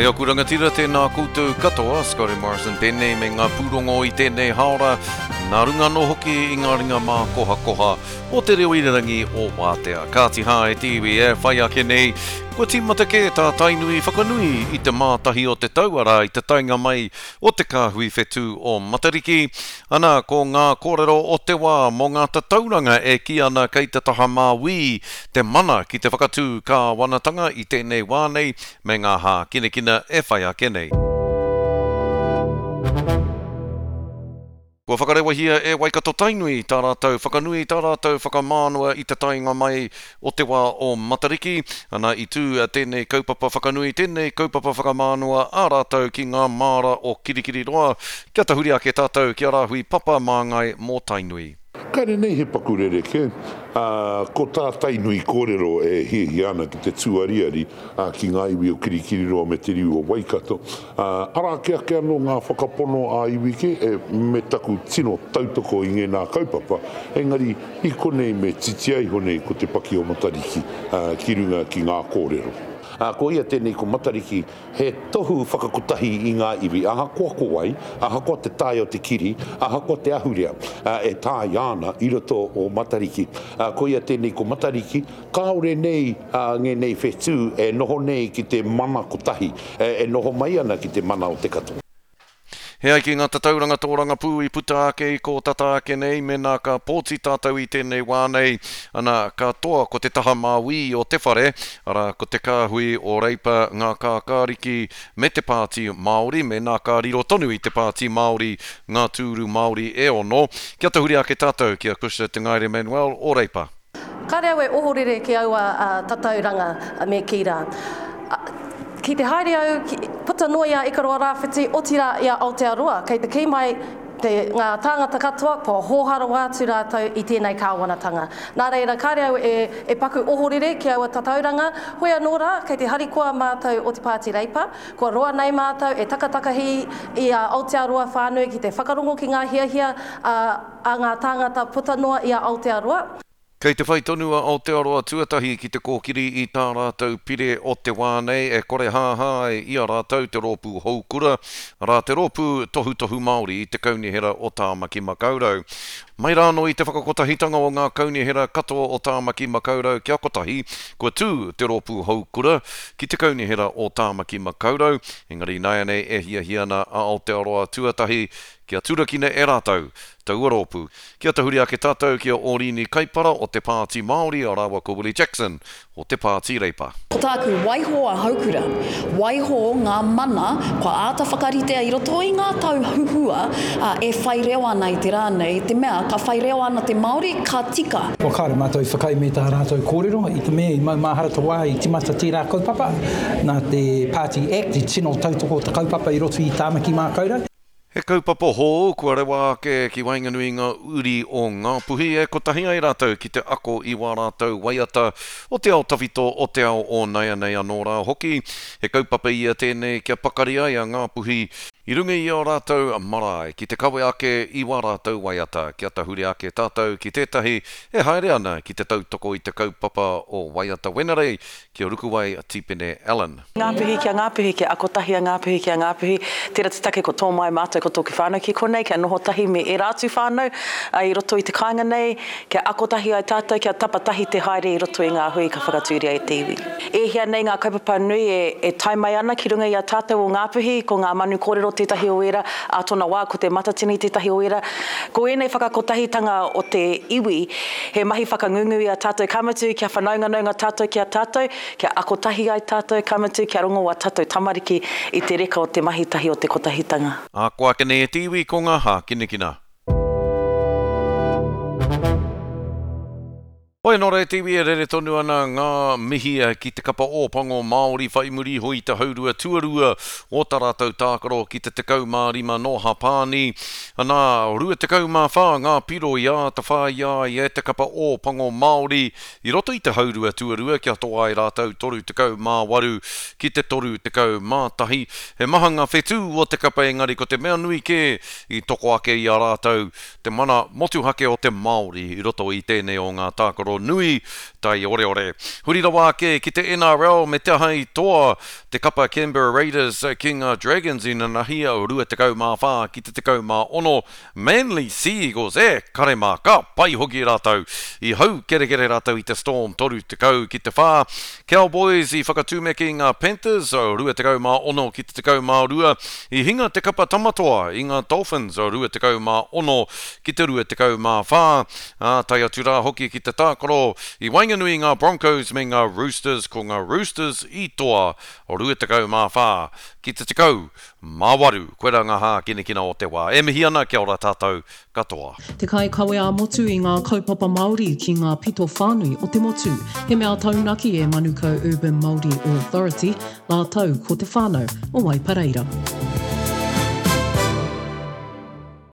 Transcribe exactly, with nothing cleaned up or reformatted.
E aku rangatira, tēnā koutou katoa, Scotty Morrison tēnei me ngā pūrongo i tēnei haora, nā runga anō hoki i ngā ringa mākohakoha o te reo irirangi o Wātea. Kāti hā e te iwi e whai ake nei, kua tīmata kē tā Tainui whakanui i te mātahi o te tau, arā i te taenga mai o te kāhui whetū o Matariki. Ana, ko ngā kōrero o te wā mō ngā tatauranga e kī ana kei te taha māui te mana ki te whakatū kāwanatanga i tēnei wā nei me ngā hākinakina e whai ake nei. Kua whakarewahia e Waikato Tainui tā rātou whakanui, tā rātou whakamānawa i te taenga mai o te wā o Matariki. Ana i tū tēnei kaupapa whakanui, tēnei kaupapa whakamānawa a rātou ki ngā māra o Kirikiriroa. Kia tahuri ake tātou ki a Rāhui Papa Māngai mō Tainui. Kāre nei he paku rerekē, ā, ko tā Tainui kōrero e hiahia ana ki te tūariari ki ngā iwi o Kirikiriroa me te riu o Waikato. Ā, arā ake ake anō ngā whakapono ā-iwi kē, e, me taku tino tautoko i ngēnā kaupapa, engari i konei me titia iho nei ko te paki o Matariki, ā, ki runga ki ngā kōrero. Ā, ko ia tēnei ko Matariki, he tohu whakakotahi i ngā iwi, ahakoa ko wai, ahakoa te tae o te kiri, ahakoa te ahurea, ā, e tāia ana i roto o Matariki. Ā, ko ia tēnei ko Matariki, kāore nei, ā, ngēnei whetū e noho nei ki te mana kotahi, e, e noho mai ana ki te mana o te katoa. He ai ki ngā tatauranga tōrangapū i puta ake i kō tata ake nei, mēnā ka pōti tātou i tēnei wā nei, ana, ka toa ko te taha māui o te whare, arā, ko te kāhui o Reipa, ngā kākāriki me te Pāti Māori, mēnā ka riro tonu i te Pāti Māori ngā tūru Māori e ono. Kia tahuri ake tātou ki a Cushla Te Ngaere Manuel o Reipa. Kāre au e ohorere ki aua tatauranga me kī rā. Ki te haere au, puta noa i a Ikaroa Rāwhiti, otirā i a Aotearoa, kei te kī mai te, ngā tāngata katoa kua hōhā rawa atu rātou i tēnei kāwanatanga. Nā reira, kāre au e, e paku ohorere ki aua tatauranga, hoi anō rā, kei te harikoa mātou o te Pāti Reipa, kua roa nei mātou e takatakahi i a Aotearoa whānui ki te whakarongo ki ngā hiahia a, a ngā tāngata puta noa i a Aotearoa. Kei te whai tonu a Aotearoa Tuatahi ki te kōkiri i tā rātou pire o te wā nei e kore hāhā ai i a rātou te rōpū houkura, arā te rōpū tohutohu Māori i te kaunihera o Tāmaki Makaurau. Mai rānō i te whakakotahitanga o ngā kaunihera katoa o Tāmaki Makaurau kia kotahi, kua tū te rōpū houkura ki te kaunihera o Tāmaki Makaurau, engari ināianei e hiahia ana a Aotearoa Tuatahi kia turakina e rātou taua rōpū. Kia tahuri ake tātou ki a Ōrini Kaipara o te Pāti Māori rāua ko Willie Jackson o te Pāti Reipa. Ko tāku, waiho a Houkura, waiho ngā mana kua āta whakaritea i roto i ngā tau huhua e whai reo ana i te rā nei, te mea ka whai reo ana te Māori, ka tika. Kua kāre mātou i whakaae me tā rātou kōrero i te mea i maumahara te wā i timata tērā kaupapa, nā te Party Act i tino tautoko te kaupapa i roto i Tāmaki Mākaurau. He kaupapa hou kua rewa ake ki waenganui i ngā uri o Ngāpuhi e kotahi ai rātou ki te ako i wā rātou waiata o te ao tawhito, o te ao o naianei anō rā hoki. He kaupapa ia tēnei kia pakari ai a Ngāpuhi i runga i ō rātou marae ki te kawe ake i wā rātou waiata. Kia tahuri ake tātou ki tētahi e haere ana ki te tautoko i te kaupapa o Waiata Wenerei, ki a Rukuwai Tipene Allen. Ngāpuhi kia Ngāpuhi, kia ako tahi a Ngāpuhi kia Ngāpuhi. Tērā te take ko tō mai mātou ko tōku whānau ki konei, kia noho tahi me ērā atu whānau i roto i te kāinga nei, kia ako tahi ai tātou, kia tapa tahi te haere i roto i ngā hui ka whakatūria e te iwi. E hia nei ngā kaupapa nui e, e tae mai ana ki runga i a tātou o Ngāpuhi, ko ngā manu kōrero tētahi o ērā, ā tōna wā ko te Matatini tētahi o ērā. Ko ēnei whakakotahitanga o te iwi, he mahi whakangungu i a tātou, ka mutu kia whanaunganaunga tātou ki a tātou, kia ako tahi ai tātou, ka mutu kia rongo ā tātou tamariki i te reka o te mahi tahi o te kotahitanga. Ā, ko ake nei e te iwi ko ngā hākinakina. Hoi anō rā e te iwi e rere tonu ana ngā mihi ki te kapa Ōpango Māori whai muri iho i te haurua tuarua o tā rātou tākaro ki te tekau mā rima nō Hapāni. Anā, rua tekau mā whā ngā piro i āta whāia ai e te kapa Ōpango Māori i roto i te haurua tuarua kia toa ai rātou toru tekau mā waru ki te toru tekau mā tahi. He maha ngā whetū o te kapa engari ko te mea nui kē i toko ake i a rātou te mana motuhake o te Māori i roto i tēnei o ngā tākaro tākaro nui taioreore. Huri rawa ake ki te N R L, me te aha i toa te kapa Canberra Raiders ki ngā Dragons inanahi, rua tekau mā whā ki te tekau mā ono. Manly Sea Eagles, e kare mā, ka pai hoki rātou. I hau kerekere rātou i te Storm toru tekau ki te whā. Cowboys i whakatūmeke i ngā Panthers rua tekau mā ono ki te tekau mā rua. I hinga te kapa Tamatoa i ngā Dolphins rua tekau mā ono ki te rua tekau mā whā. Ā, tae atu rā hoki ki te tākaro i waenganui i ngā Broncos me ngā Roosters, ko ngā Roosters i toa rua tekau mā whā ki te tekau mā waru. Koirā ngā hākinakina o te wā. E mihi ana, kia ora tātou katoa. Te kai kawe a motu i ngā kaupapa Māori ki ngā pito whānui o te motu. He mea taunaki e Manukau Urban Māori Authority, rātou ko te whānau o Waipareira.